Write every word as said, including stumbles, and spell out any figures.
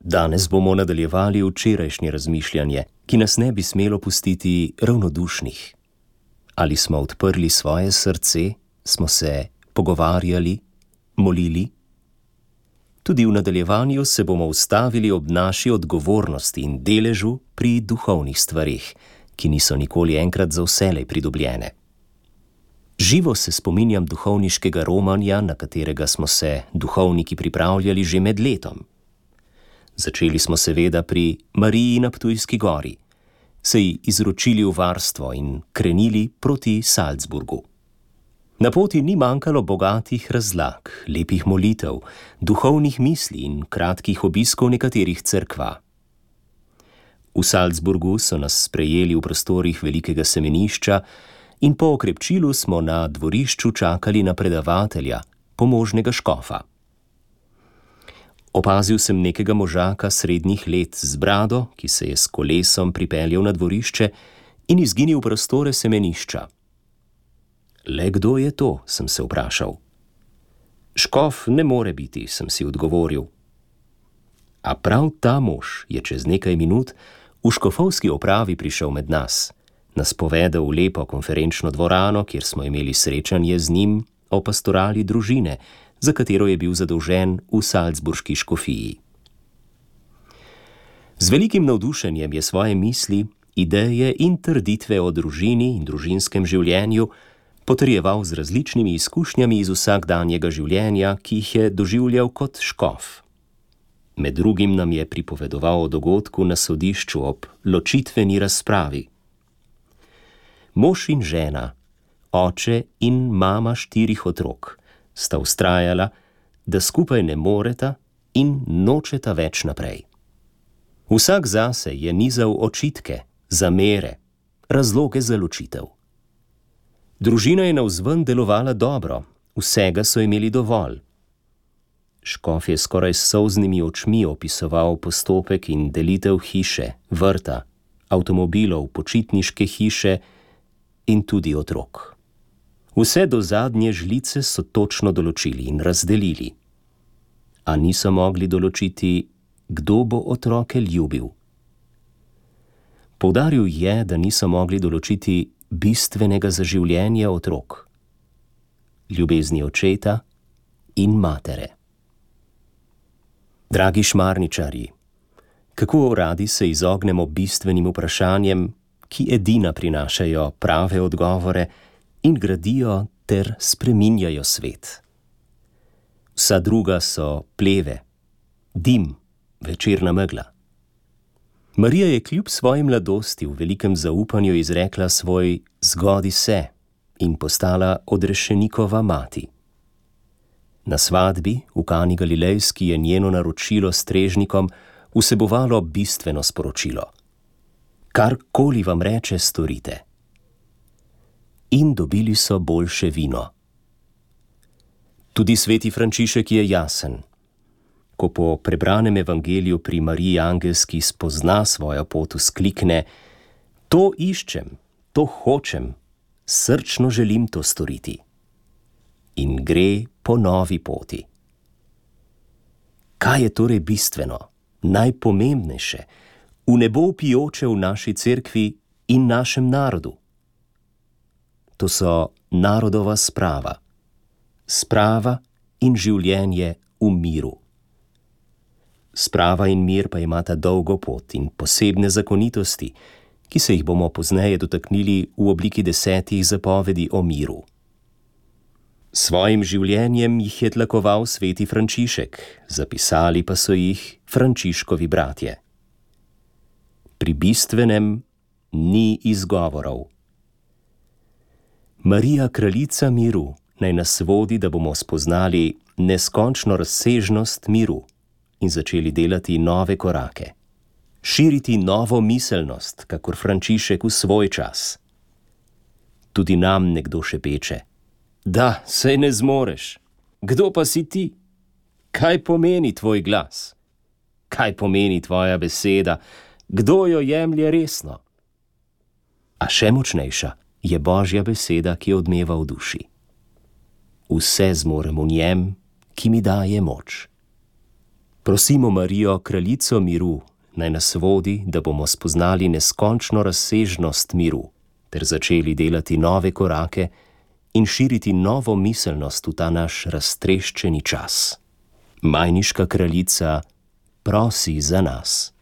Danes bomo nadaljevali včerajšnje razmišljanje, ki nas ne bi smelo pustiti ravnodušnih. Ali smo odprli svoje srce, smo se pogovarjali, molili? Tudi v nadaljevanju se bomo ustavili ob naši odgovornosti in deležu pri duhovnih stvareh, ki niso nikoli enkrat za vselej pridobljene. Živo se spominjam duhovniškega romanja, na katerega smo se duhovniki pripravljali že med letom. Začeli smo seveda pri Mariji na Ptujski gori, se ji izročili v varstvo in krenili proti Salzburgu. Na poti ni manjkalo bogatih razlag, lepih molitev, duhovnih misli in kratkih obiskov nekaterih cerkva. V Salzburgu so nas sprejeli v prostorih velikega semenišča in po okrepčilu smo na dvorišču čakali na predavatelja, pomožnega škofa. Opazil sem nekega možaka srednjih let z brado, ki se je s kolesom pripeljal na dvorišče in izginil v prostore semenišča. Le kdo je to, sem se vprašal. Škof ne more biti, sem si odgovoril. A prav ta mož je čez nekaj minut v škofovski opravi prišel med nas, nas povedal v lepo konferenčno dvorano, kjer smo imeli srečanje z njim o pastorali družine, za katero je bil zadolžen v salzburški škofiji. Z velikim navdušenjem je svoje misli, ideje in trditve o družini in družinskem življenju potrjeval z različnimi izkušnjami iz vsakdanjega življenja, ki jih je doživljal kot škof. Med drugim nam je pripovedoval o dogodku na sodišču ob ločitveni razpravi. Mož in žena, oče in mama štirih otrok, sta vztrajala, da skupaj ne moreta in nočeta več naprej. Vsak zase je nizal očitke, zamere, razloge za ločitev. Družina je navzven delovala dobro, vsega so imeli dovolj. Škof je skoraj s solznimi očmi opisoval postopek in delitev hiše, vrta, avtomobilov, počitniške hiše in tudi otrok. Vse do zadnje žlice so točno določili in razdelili. A niso mogli določiti, kdo bo otroke ljubil. Poudaril je, da niso mogli določiti bistvenega za življenje otrok, ljubezni očeta in matere. Dragi šmarničarji, kako radi se izognemo bistvenim vprašanjem, ki edina prinašajo prave odgovore in gradijo ter spreminjajo svet. Vsa druga so pleve, dim, večerna megla. Marija je kljub svoji mladosti v velikem zaupanju izrekla svoj zgodi se in postala odrešenikova mati. Na svadbi v Kani Galilejski je njeno naročilo strežnikom vsebovalo bistveno sporočilo. Karkoli vam reče, storite. In dobili so boljše vino. Tudi sveti Frančišek je jasen. Ko po prebranem evangeliju pri Mariji Angelski spozna svojo pot, vzklikne: To iščem, to hočem, srčno želim to storiti. In gre po novi poti. Kaj je torej bistveno, najpomembnejše, v nebo vpijoče v naši cerkvi in našem narodu? To so narodova sprava, sprava in življenje v miru. Sprava in mir pa imata dolgo pot in posebne zakonitosti, ki se jih bomo pozneje dotaknili v obliki desetih zapovedi o miru. Svojim življenjem jih je tlakoval sveti Frančišek, zapisali pa so jih Frančiškovi bratje. Pri bistvenem ni izgovorov. Marija, kraljica miru, naj nas vodi, da bomo spoznali neskončno razsežnost miru in začeli delati nove korake, širiti novo miselnost, kakor Frančišek v svoj čas. Tudi nam nekdo šepeče: Da, saj ne zmoreš. Kdo pa si ti? Kaj pomeni tvoj glas? Kaj pomeni tvoja beseda? Kdo jo jemlje resno? A še močnejša je Božja beseda, ki odmeva v duši. Vse zmorem v njem, ki mi daje moč. Prosimo Marijo, kraljico miru, naj nas vodi, da bomo spoznali neskončno razsežnost miru, ter začeli delati nove korake in širiti novo miselnost v ta naš raztreščeni čas. Majniška kraljica, prosi za nas.